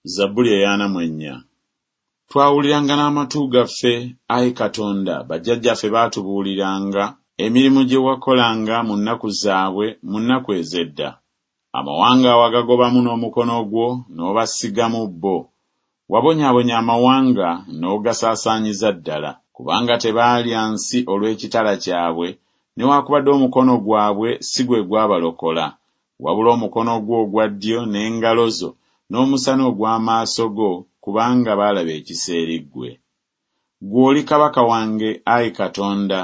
Zabbuli ey'ana mu ennya. Twawuliranga n'amatu gaffe, ayi Katonda, bajjajjaffe baatubuuliranga emirimu gye wakolanga mu nnaku zaabwe, mu nnaku ez'edda. Amawanga wagagobamu n'omukono gwo, n'obasigamu bo. Wabonyaabonya amawanga, n'ogasaasaanyiza ddala, kubanga tebaalya nsi olw'ekitala kyabwe, newakubadde omukono gwabwe si gwe gwabalokola, wabula omukono gwo ogwa ddyo n'engalo zo n'omusana ogw'amaaso go, kubanga baalaba ekisa eri ggwe. Ggwe oli kabaka wange, ayi Katonda,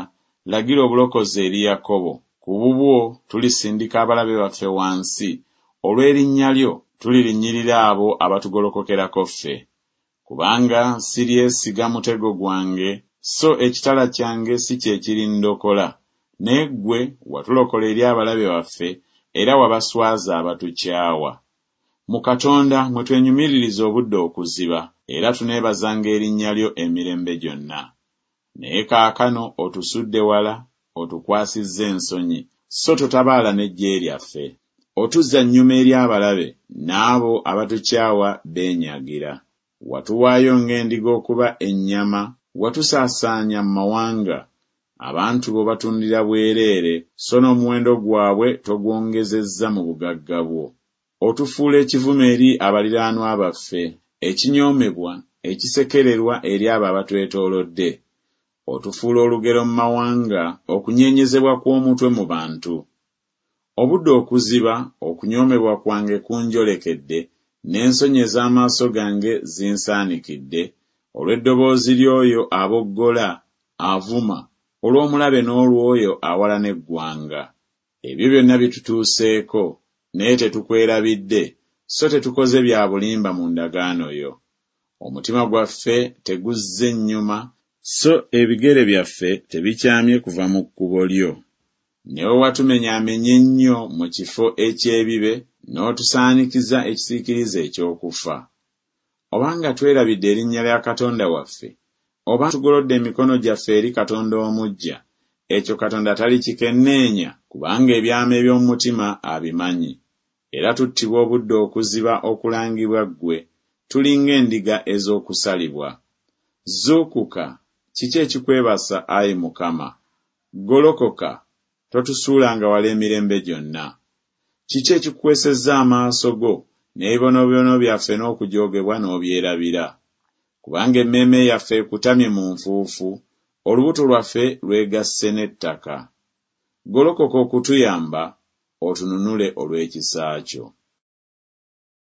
lagira obulokozi eri Yakobo. Ku bubwo tulisindika abalabe baffe wansi, olw'erinnya lyo tulirinnyirira abo abatugolokokerako ffe. Kubanga siryesiga mutego gwange, so ekitala kyange si kye kirindokola, naye ggwe watulokola eri abalabe baffe, era wabaswaza abatukyawa. Mu Katonda mwe twenyumiririza obudde okuziba, era tuneebazanga erinnya lyo emirembe gyonna. Naye kaakano otusudde wala, otukwasizza ensonyi, so totabaala n'eggye lyaffe. Otuzza nnyuma eri abalabe, n'abo abatukyawa beenyagira. Watuwaayo ng'endiga okuba ennyama, watusaasaanya mu mawanga. Abantu bo obatundira bwereere, so n'omuwendo gwabwe togwongezezza mu bugagga bwo. Otufuula ekivume eri abaliraanwa baffe, ekinyoomebwa, ekisekererwa eri abo abatwetoolodde. Otufuula olugero mu mawanga, okunyeenyezebwa kw'omutwe mu bantu. Obudde okuziba, okunyoomebwa kwange kunjolekedde, n'ensonyi ez'amaaso gange zinsaanikidde, olw'eddoboozi ly'oyo aboggola, avuma, olw'omulabe n'olw'oyo awalana eggwanga. Ebyo byonna bitutuuseeko, naye tetukwerabidde, so tetukoze bya bulimba mu ndagaano yo. Omutima gwaffe teguzze nnyuma, so ebigere byaffe tebikyamye kuva mu kkubo lyo. Ne bwe watumenyaamenya ennyo mu kifo eky'ebibe, n'otusaanikiza ekisiikirize eky'okufa. Obanga twerabidde erinnya lya Katonda waffe, oba tugolodde emikono gyaffe eri katonda omuggya, ekyo Katonda talikikenneenya, kubanga ebyama eby'omu mutima abimanyi. Era tuttibwa obudde okuziba okulangibwa ggwe, tuli ng'endiga ez'okusalibwa. Zuukuka, kiki ekikwebasa, ayi Mukama? Golokoka, totusuulanga wala emirembe gyonna. Kiki ekikukwesezza amaaso go, n'ebibonoobono byaffe n'okujoogebwa n'obyerabira? Kubanga emmeeme yaffe ekutamye mu nfuufu, olubuto lwaffe lwegasse n'ettaka. Golokoka okutuyamba, otununule olw'ekisa kyo.